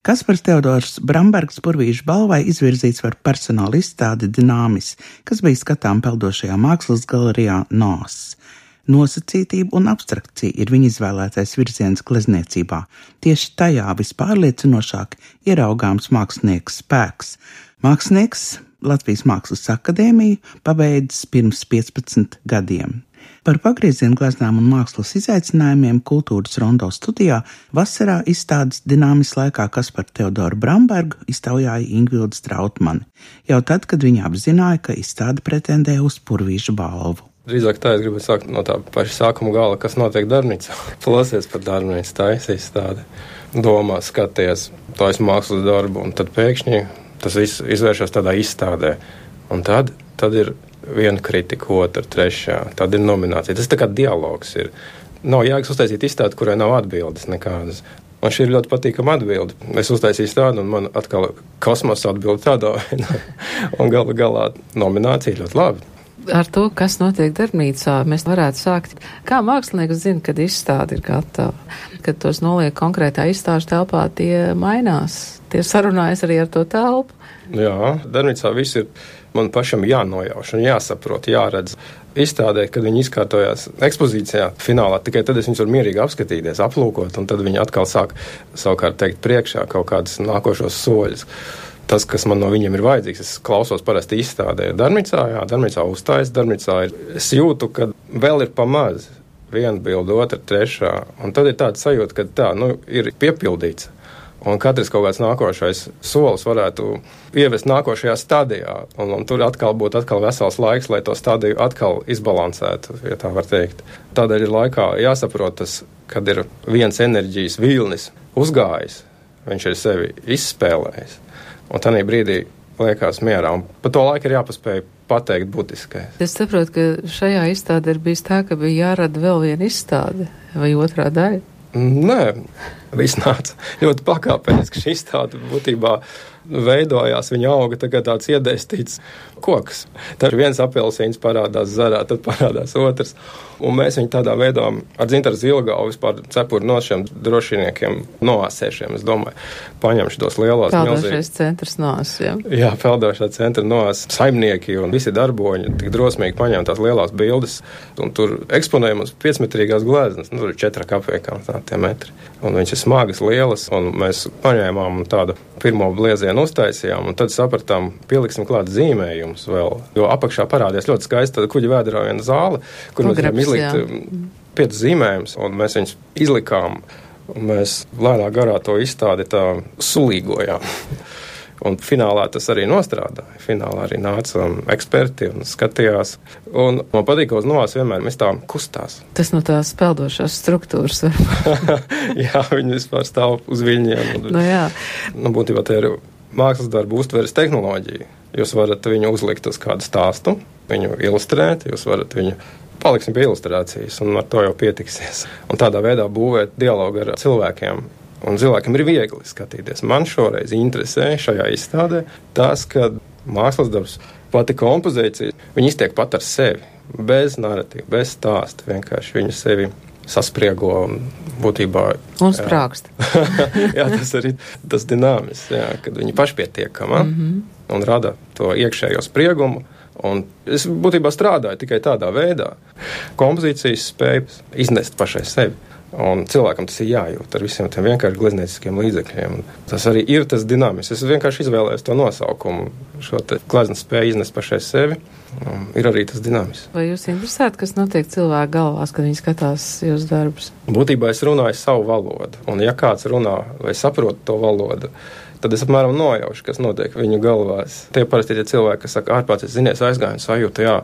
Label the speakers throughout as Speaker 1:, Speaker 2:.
Speaker 1: Kaspars Teodors Brambergs Purvīša balvai izvirzīts par personāla izstādi Dināmis, kas bija skatām peldošajā mākslas galerijā NOS. Nosacītība un abstrakcija ir viņa izvēlētais virziens glezniecībā. Tieši tajā vispārliecinošāk ieraugāms mākslinieks spēks. Mākslinieks Latvijas Mākslas akadēmiju pabeidzis pirms 15 gadiem. Par pagriezienu gleznām un mākslas izaicinājumiem Kultūras Rondo studijā vasarā izstādes Dināmis laikā Kasparu Teodoru Brambergu iztaujāja Ingvilda Strautmane, jau tad, kad viņa apzināja, ka izstāde pretendē uz Purvīša balvu.
Speaker 2: Drīzāk tā es gribētu sākt no tā paša sākuma gala, kas notiek darbnīcā. Plosies par darbnīcu, taisa izstāde, domā, skaties, taisa mākslas darbu, un tad pēkšņi tas viss izvēršas tādā izstādē. Un tad ir viena kritika, otra, trešā, tad ir nominācija. Tas tā kā dialogs ir. Nav jēgas uztaisīt izstādi, kurai nav atbildes nekādas. Man šī ir ļoti patīkama atbilde. Es uztaisīju izstādi, un man atkal kosmosa atbilde tādā veidā. Un galā nominācija ļoti labi.
Speaker 3: Ar to, kas notiek darbnīcā, mēs varētu sākt. Kā mākslinieks zina, kad izstāde ir gatava? Kad tos noliek konkrētā izstāžu telpā, tie mainās. Tie sarunājas arī ar to telpu.
Speaker 2: Jā, darbnīcā viss ir man pašam jānojauš un jāsaprot, jāredz. Izstādē, kad viņi izkārtojās ekspozīcijā finālā, tikai tad es viņus varu mierīgi apskatīties, aplūkot, un tad viņi atkal sāk savukārt teikt priekšā kaut kādus nākošos soļus. Tas, kas man no viņiem ir vajadzīgs, es klausos parasti izstādē. Darbnīcā uzstājas, darbnīcā ir. Es jūtu, ka vēl ir pamaz. Viena bilde, otra, trešā. Un tad ir tāda sajūta, ka tā, ir piepildīts. Un katrs kaut kāds nākošais solis varētu ievest nākošajā stadijā. Un tur atkal būtu vesels laiks, lai to stadiju atkal izbalansētu, ja tā var teikt. Tādēļ ir laikā jāsaprot tas, kad ir viens enerģijas vilnis uzgājis, viņš ir sevi izspēlējis. Un tādā brīdī liekas mierā. Un pa to laiku ir jāpaspēj pateikt būtiskais.
Speaker 3: Es saprotu, ka šajā izstādē ir bijis tā, ka bija jārada vēl viena izstāde vai otrā daļa.
Speaker 2: Nē, viss nāca ļoti pakāpeniski. Šī izstāde būtībā veidojās, viņa auga tagad tāds iedēstīts koks. Tad viens apelsīns parādās zarā, tad parādās otrs. Un mēs viņu tādā veidā ar Dzintaru Zilgavu vispār cepuri no šiem drošiniekiem noāsēšiem, es domāju, paņemšu tos lielās milzīgas.
Speaker 3: Peldošais centrs noās, jā?
Speaker 2: Jā, peldošā centra noās saimnieki un visi darboņi tik drosmīgi paņem tās lielās bildes un tur eksponējam uz 5-metrīgās gleznas, tur ir 4 kapekām tie metri. Un viņš ir smagas, lielas, un mēs paņēmām tādu pirmo bliezienu uztaisījām, un tad sapratām, pieliksim klāt zīmējumus vēl, jo apakšā parādījās ļoti skaista kuģa vēderā viena zāle, kur mēs varam izlikt 5 zīmējumus, un mēs viņus izlikām, un mēs lēnā garā to izstādi tā sulīgojām. Un finālā tas arī nostrādāja. Finālā arī nāca eksperti un skatījās. Un man patīk, ka uz novās vienmēr mēs tā kustās.
Speaker 3: Tas no tās peldošās struktūras.
Speaker 2: Jā, viņi vispār stāv uz viļņiem.
Speaker 3: Jā.
Speaker 2: Būtībā te ir mākslas darbu uztveres tehnoloģija. Jūs varat viņu uzlikt uz kādu stāstu, viņu ilustrēt, jūs varat viņu paliksim pie ilustrācijas, un ar to jau pietiksies. Un tādā veidā būvēt dialogu ar cilvēkiem. Un cilvēkiem ir viegli skatīties. Man šoreiz interesē šajā izstādē tas, ka mākslas darbs, pati kompozīcija, viņi iztiek pat ar sevi, bez narratīva, bez stāsta. Vienkārši viņi sevi saspriego un būtībā...
Speaker 3: Un sprākst.
Speaker 2: Jā, tas arī tas dināmis, jā, kad viņi pašpietiekama un rada to iekšējo spriegumu. Un es būtībā strādāju tikai tādā veidā. Kompozīcijas spēja iznest pašai sevi. Un cilvēkam tas ir jājūt ar visiem tiem vienkārši gleznieciskiem līdzekļiem. Tas arī ir tas dināmis. Es vienkārši izvēlējos to nosaukumu, šo te gleznas spēju iznest pašai sevi. Ir arī tas dināmis.
Speaker 3: Vai jūs interesētu, kas notiek cilvēku galvās, kad viņi skatās jūs darbus?
Speaker 2: Būtībā es runāju savu valodu. Un ja kāds runā vai saprot to valodu, tad es apmēram nojaušu, kas notiek viņu galvās. Tie parasti ir tie cilvēki, kas saka, ārpēc zinies aizgāju un sajūta, jā,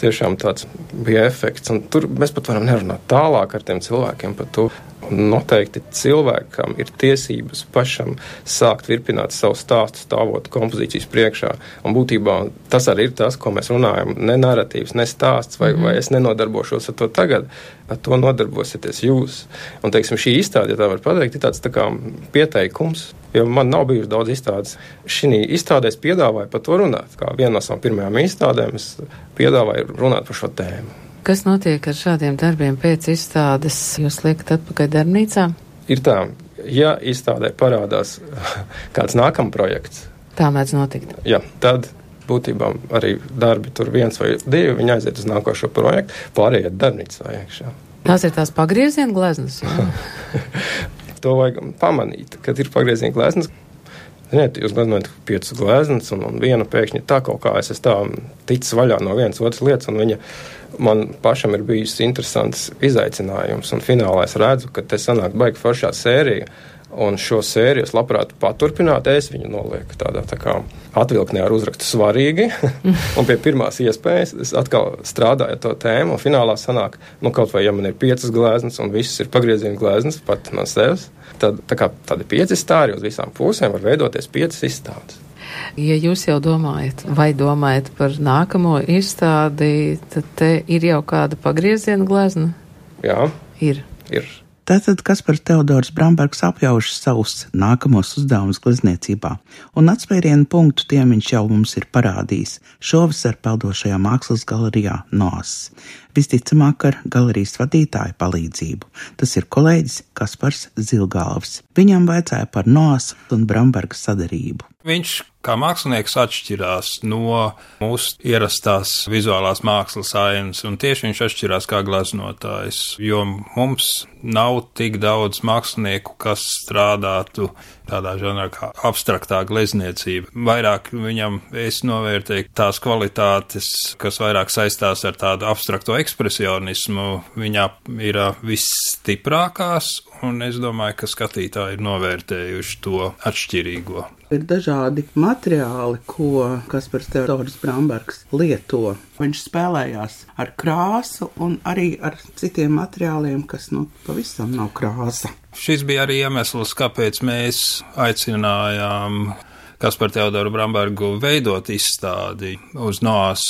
Speaker 2: tiešām tāds bija efekts. Un tur mēs pat varam nerunāt tālāk ar tiem cilvēkiem par to. Un noteikti cilvēkam ir tiesības pašam sākt virpināt savu stāstu, stāvot kompozīcijas priekšā. Un būtībā tas arī ir tas, ko mēs runājam. Ne narratīvs, ne stāsts, vai es nenodarbošos ar to tagad, ar to nodarbosieties jūs. Un, teiksim, šī izstāde, ja tā var pateikt, ir tāds tā kā pieteikums, jo man nav bijuši daudz izstādes. Šī izstādē es piedāvāju par to runāt. Kā viena no savām pirmajām izstādēm es piedāvāju runāt par šo tēmu.
Speaker 3: Kas notiek ar šādiem darbiem pēc izstādes? Jūs liekat atpakaļ darbnīcā?
Speaker 2: Ir tā, ja izstādē parādās kāds nākamais projekts.
Speaker 3: Tā mēdz notikt.
Speaker 2: Jā, tad būtībā arī darbi tur 1 vai 2, viņi aiziet uz nākošo projektu, pārējie darbnīcā iekšā.
Speaker 3: Tās ir tās pagrieziena gleznas, jā?
Speaker 2: To vajag pamanīt, kad ir pagrieziena gleznas. Ziniet, jūs gleznojat 5 gleznas un viena pēkšņi tā kaut kā es tā ticis vaļā no vienas otras lietas, un viņa man pašam ir bijis interesants izaicinājums, un finālā es redzu, ka te sanāk baigi foršā sērija, un šo sēriju es labprāt paturpināt, es viņu nolieku tādā tā kā atvilknē ar uzrakstu svarīgi, un pie pirmās iespējas es atkal strādāju to tēmu, un finālā sanāk, kaut vai ja man ir 5 gleznas, un visas ir pagrieziena gleznas, pat no sevis, tad tā kā tādi 5 stāri uz visām pusēm var veidoties 5 izstādes.
Speaker 3: Ja jūs jau domājat par nākamo izstādi, tad te ir jau kāda pagrieziena glezna?
Speaker 2: Jā.
Speaker 3: Ir.
Speaker 1: Tātad Kaspars Teodors Brambergs apjauš savus nākamos uzdevumus glezniecībā, un atspērienu punktu tiem viņš jau mums ir parādījis šovasar peldošajā mākslas galerijā NOS. Visticamāk ar galerijas vadītāju palīdzību. Tas ir kolēģis Kaspars Zilgalvs. Viņam vajadzēja par NOS un Bramberga sadarību.
Speaker 4: Viņš kā mākslinieks atšķirās no mūsu ierastās vizuālās mākslas ainas, un tieši viņš atšķirās kā gleznotājs, jo mums nav tik daudz mākslinieku, kas strādātu tādā žanrā kā abstraktā glezniecība. Vairāk viņam es novērtēju tās kvalitātes, kas vairāk saistās ar tādu abstrakto ekspresionismu, viņā ir visstiprākās, un es domāju, ka skatītāji ir novērtējuši to atšķirīgo.
Speaker 1: Ir dažādi materiāli, ko Kaspars Teodors Brambergs lieto. Viņš spēlējās ar krāsu un arī ar citiem materiāliem, kas pavisam nav krāsa.
Speaker 4: Šis bija arī iemesls, kāpēc mēs aicinājām Kasparu Teodoru Brambergu veidot izstādi uz NOS,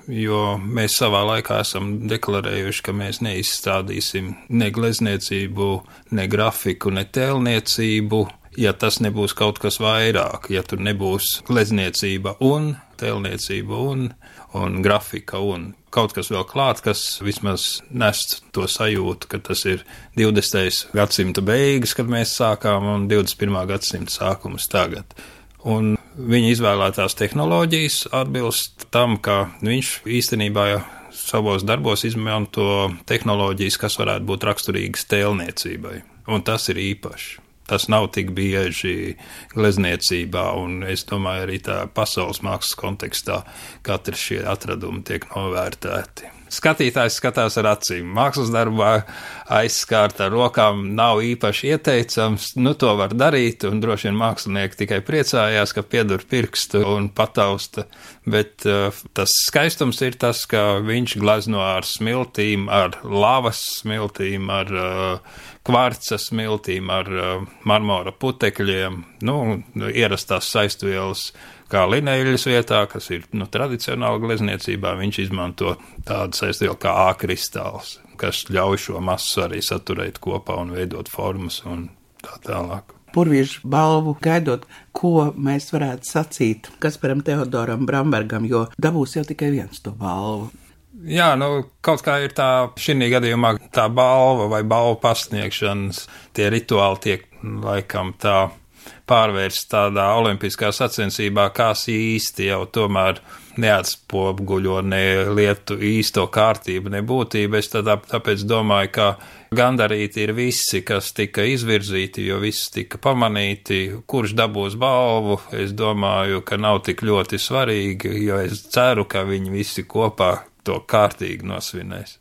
Speaker 4: jo mēs savā laikā esam deklarējuši, ka mēs neizstādīsim ne glezniecību, ne grafiku, ne tēlniecību, ja tas nebūs kaut kas vairāk, ja tur nebūs glezniecība un tēlniecība un grafika un kaut kas vēl klāt, kas vismaz nest to sajūtu, ka tas ir 20. gadsimta beigas, kad mēs sākām, un 21. gadsimta sākums tagad. Un viņa izvēlētās tehnoloģijas atbilst tam, ka viņš īstenībā savos darbos izmanto tehnoloģijas, kas varētu būt raksturīgas tēlniecībai, un tas ir īpaši. Tas nav tik bieži glezniecībā, un es domāju, arī tā pasaules mākslas kontekstā katrs šie atradumi tiek novērtēti. Skatītājs skatās ar acīm. Mākslas darbā aizskārt ar rokām nav īpaši ieteicams, to var darīt, un droši vien mākslinieki tikai priecājās, ka piedur pirkstu un patausta, bet tas skaistums ir tas, ka viņš glezno ar smiltīm, ar lavas smiltīm, ar kvarca smiltīm, ar marmora putekļiem, ierastās saistvielas, kā lineļas vietā, kas ir tradicionāla glezniecībā, viņš izmanto tādu saistvielu kā A-kristāls, kas ļauj šo masu arī saturēt kopā un veidot formas un tā tālāk.
Speaker 1: Purviešu balvu gaidot, ko mēs varētu sacīt Kasparam Teodoram Brambergam, jo dabūs jau tikai viens to balvu.
Speaker 4: Jā, kaut kā ir tā, šī gadījumā tā balva vai balvu pasniegšanas, tie rituāli tiek laikam tā pārvērst tādā olimpiskā sacensībā, kas īsti jau tomēr neatspoguļo ne lietu īsto kārtību, ne būtību. Es tāpēc domāju, ka gandarīti ir visi, kas tika izvirzīti, jo visi tika pamanīti, kurš dabūs balvu. Es domāju, ka nav tik ļoti svarīgi, jo es ceru, ka viņi visi kopā to kārtīgi nosvinēs.